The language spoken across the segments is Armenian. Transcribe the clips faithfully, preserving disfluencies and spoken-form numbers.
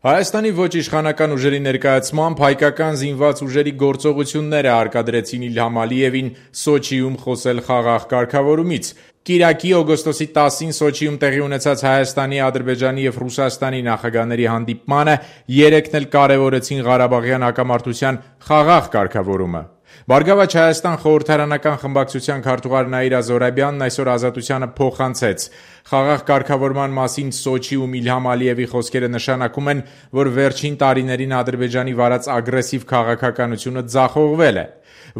Հայաստանի ոչ իշխանական ուժերի ներկայացմամբ հայկական զինված ուժերի գործողությունները հարկադրեցին Իլհամ Ալիևին Սոչիում խոսել խաղաղ կարգավորումից։ Կիրակի օգոստոսի տասին Սոչիում տեղի ունեցած Հայաստանի, Ադրբեջանի և Ռուսաստանի նախագահների հանդիպմանը երեքն էլ կարևորեցին Ղարաբաղյան հակամարտության խաղաղ կարգավորումը։ Բարգավաճ Հայաստան խորհրդարանական խմբակցության քարտուղար Նաիրա Զոհրաբյանն այսօր Ազատությանը փոխանցեց. Խաղաղ կարգավորման մասին Սոչիում Իլհամ Ալիևի խոսքերը նշանակում են, որ վերջին տարիներին Ադրբեջանի վարած ագրեսիվ քաղաքականությունը ձախողվել է։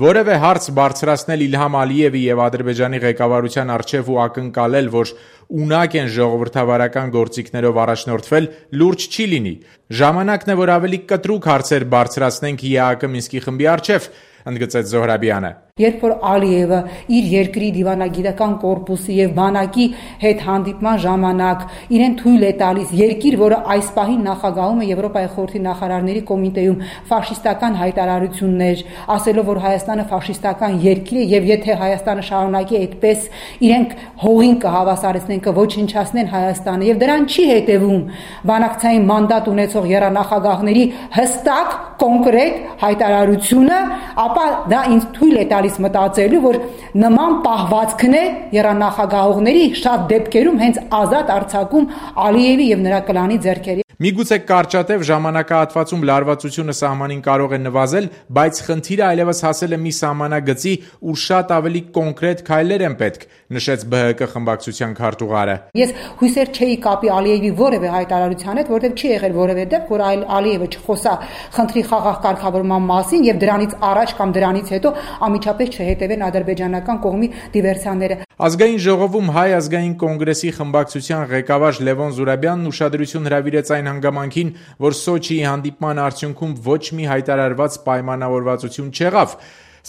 Որևէ հարց բարձրացնել Իլհամ Ալիևի և Ադրբեջանի ղեկավարության առջև ու ակնկալել, որ ունակ են ժողովրդավարական գործիքներով առաջնորդվել, լուրջ չի լինի։ Ժամանակն է, որ ավելի կտրուկ հարցեր բարձրացնենք ԵԱՀԿ Մինսկի խմբի առջև, ընդգծեց Զոհրաբյանը։ Երբ որ Ալիևը իր երկրի դիվանագիտական կորպուսի եւ բանակի հետ հանդիպման ժամանակ իրեն թույլ է տալիս երկիր, որը այս պահին նախագահում է Եվրոպայի խորհրդի նախարարների կոմիտեում ֆաշիստական հայտարարություններ, ասելով, որ Հայաստանը ֆաշիստական երկիր է եւ եթե Հայաստանը շարունակի այդպես, իրենք հողին կհավասարեցնեն, կոչնչացնեն Հայաստանը եւ դրան չի հետեւում բանակցային մանդատ ունեցող եռանախագահների հստակ կոնկրետ հայտարարությունը, ապա դա ինձ թույլ է տալիս մտածելու, որ նման պահվածքն է եռանախագահողների շատ դեպքերում հենց ազատ արձակում Ալիևի եւ նրա կլանի ձեռքերի։ Միգուցե կարճատև ժամանակահատվածում լարվածությունը սահմանին կարող է նվազել, բայց խնդիրը այլևս հասել է մի սահմանագծի, ուր շատ ավելի կոնկրետ քայլեր են պետք, նշեց ԲՀԿ խմբակցության քարտուղարը։ Ես հույսեր չէի կապի Ալիևի որևէ հայտարարության հետ, որտեղ չի եղել որևէ դեպք, որ Ալիևը չխոսա խնդրի խաղաղ կարգավորման մասին եւ դրանից առաջ կամ դրանից հետո անմիջապես չհետևեն ադրբեջանական կողմի դիվերսիաները։ Ազգային ժողովում Հայ ազգային կոնգրեսի խմբակցության ղեկավար Լևոն Զուրաբյանն ուշադրություն հրավիրեց այն հանգամանքին, որ Սոչիի հանդիպման արդյունքում ոչ մի հայտարարված պայմանավորվածություն չեղավ,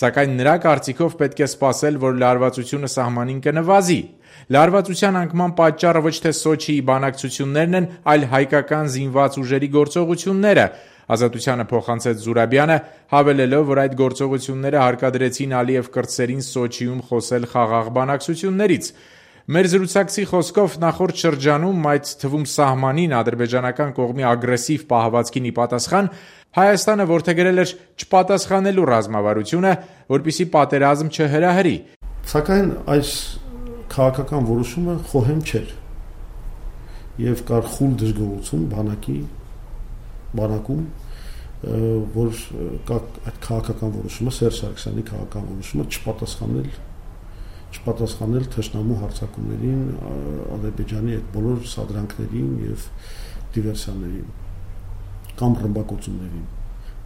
սակայն նրա կարծիքով պետք է սպասել, որ լարվածությունը սահմանին կնվազի։ Լարվածության անկման պատճառը ոչ թե Սոչիի բանակցություններն են, այլ հայկական զինված ուժերի գործողությունները, Ազատությանը փոխանցեց Զուրաբյանը, հավելելով, որ այդ գործողությունները հարկադրեցին Ալիև կրտսերին Սոչիում խոսել խաղաղ բանակցություններից։ Մեր զրուցակցի խոսքով նախորդ շրջանում, այդ թվում սահմանին ադրբեջանական կողմի ագրեսիվ պահվածքին ի պատասխան, Հայաստանը որդեգրել էր չպատասխանելու ռազմավարությունը, որպեսզի պատերազմ չհրահրի։ Սակայն այս քաղաքական որոշումը խոհեմ չէր եւ կար խուլ դժգոհություն բանակի բանակում, որ այդ քաղաքական որոշումը Սերժ Սարգսյանի քաղաքական որոշումը չպատասխանել չպատասխանել թշնամու հարձակումներին, Ադրբեջանի այդ բոլոր սադրանքներին եւ դիվերսիաներին կամ ռմբակոծումներին,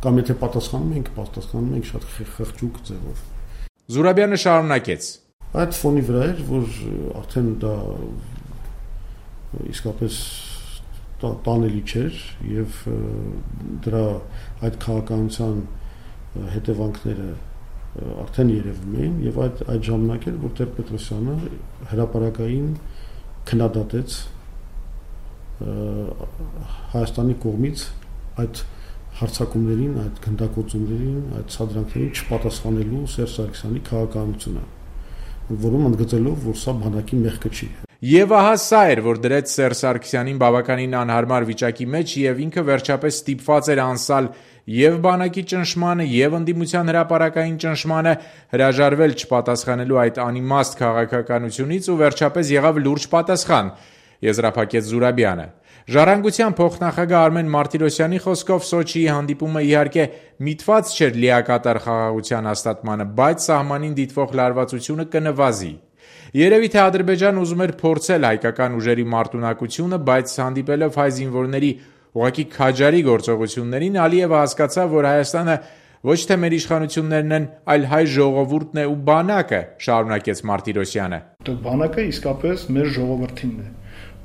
կամ եթե պատասխանում ենք, պատասխանում ենք շատ խղճուկ ձևով։ Զուրաբյանը շարունակեց. Այդ ֆոնի վրա էր, որ արդեն դա իսկապես տանելի չէր եւ դրա այդ քաղաքականության հետևանքները արդեն երևում էին եւ այդ այդ ժամանակ էր, որ Տեր-Պետրոսյանը հրապարակային քննադատեց Հայաստանի կողմից այդ հարձակումներին, այդ գնդակոծումներին, այդ սադրանքներին չպատասխանելու Սերժ Սարգսյանի քաղաքականությունը, որում ընդգծելով, որ սա բանակի մեղքը չի։ Եվ ահա սա էր, որ դրեց Սերժ Սարգսյանին բավականին անհարմար վիճակի մեջ եւ ինքը վերջապես ստիպված էր անսալ եւ բանակի ճնշմանը եւ ընդդիմության հրապարակային ճնշմանը, հրաժարվել չպատասխանելու այդ անիմաստ քաղաքականությունից ու վերջապես եղավ լուրջ պատասխան, եզրափակեց Զուրաբյանը։ Ժառանգության փոխնախագահ Արմեն Մարտիրոսյանի խոսքով Սոչիի հանդիպումը իհարկե միտված չէր լիակատար խաղաղության հաստատմանը, բայց սահմանին դիտվող լարվածությունը կնվազի։ Երևի թե Ադրբեջանը ուզում էր փորձել հայկական ուժերի մարտունակությունը, բայց հանդիպելով հայ զինվորների ուղղակի քաջարի գործողություններին, Ալիևը հասկացավ, որ Հայաստանը ոչ թե մեր իշխանություններն են, այլ հայ ժողովուրդն է ու բանակը, շարունակեց Մարտիրոսյանը։ Բանակը իսկապես մեր ժողովրդինն է։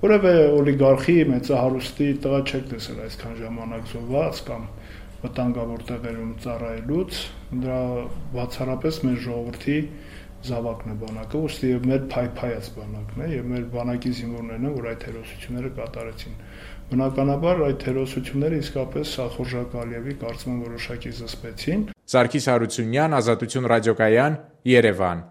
Որևէ օլիգարխի մեծահարուստի տղա չեք տեսել այսքան ժամանակ զոհված կամ վտանգավոր տեղերում ծառայելուց, դրա բացառապես մեր ժողովրդի զավակն է բանակը, ուստի եւ մեր փայփայած բանակն է եւ մեր բանակի զինվորներն են, որ այդ հերոսությունները կատարեցին։ Բնականաբար այդ հերոսությունները իսկապես Սախորժակ Ալիևի կարծում եմ որոշակի զսպեցին։ Սարգիս Հարությունյան, Ազատություն ռադիոկայան, Երևան։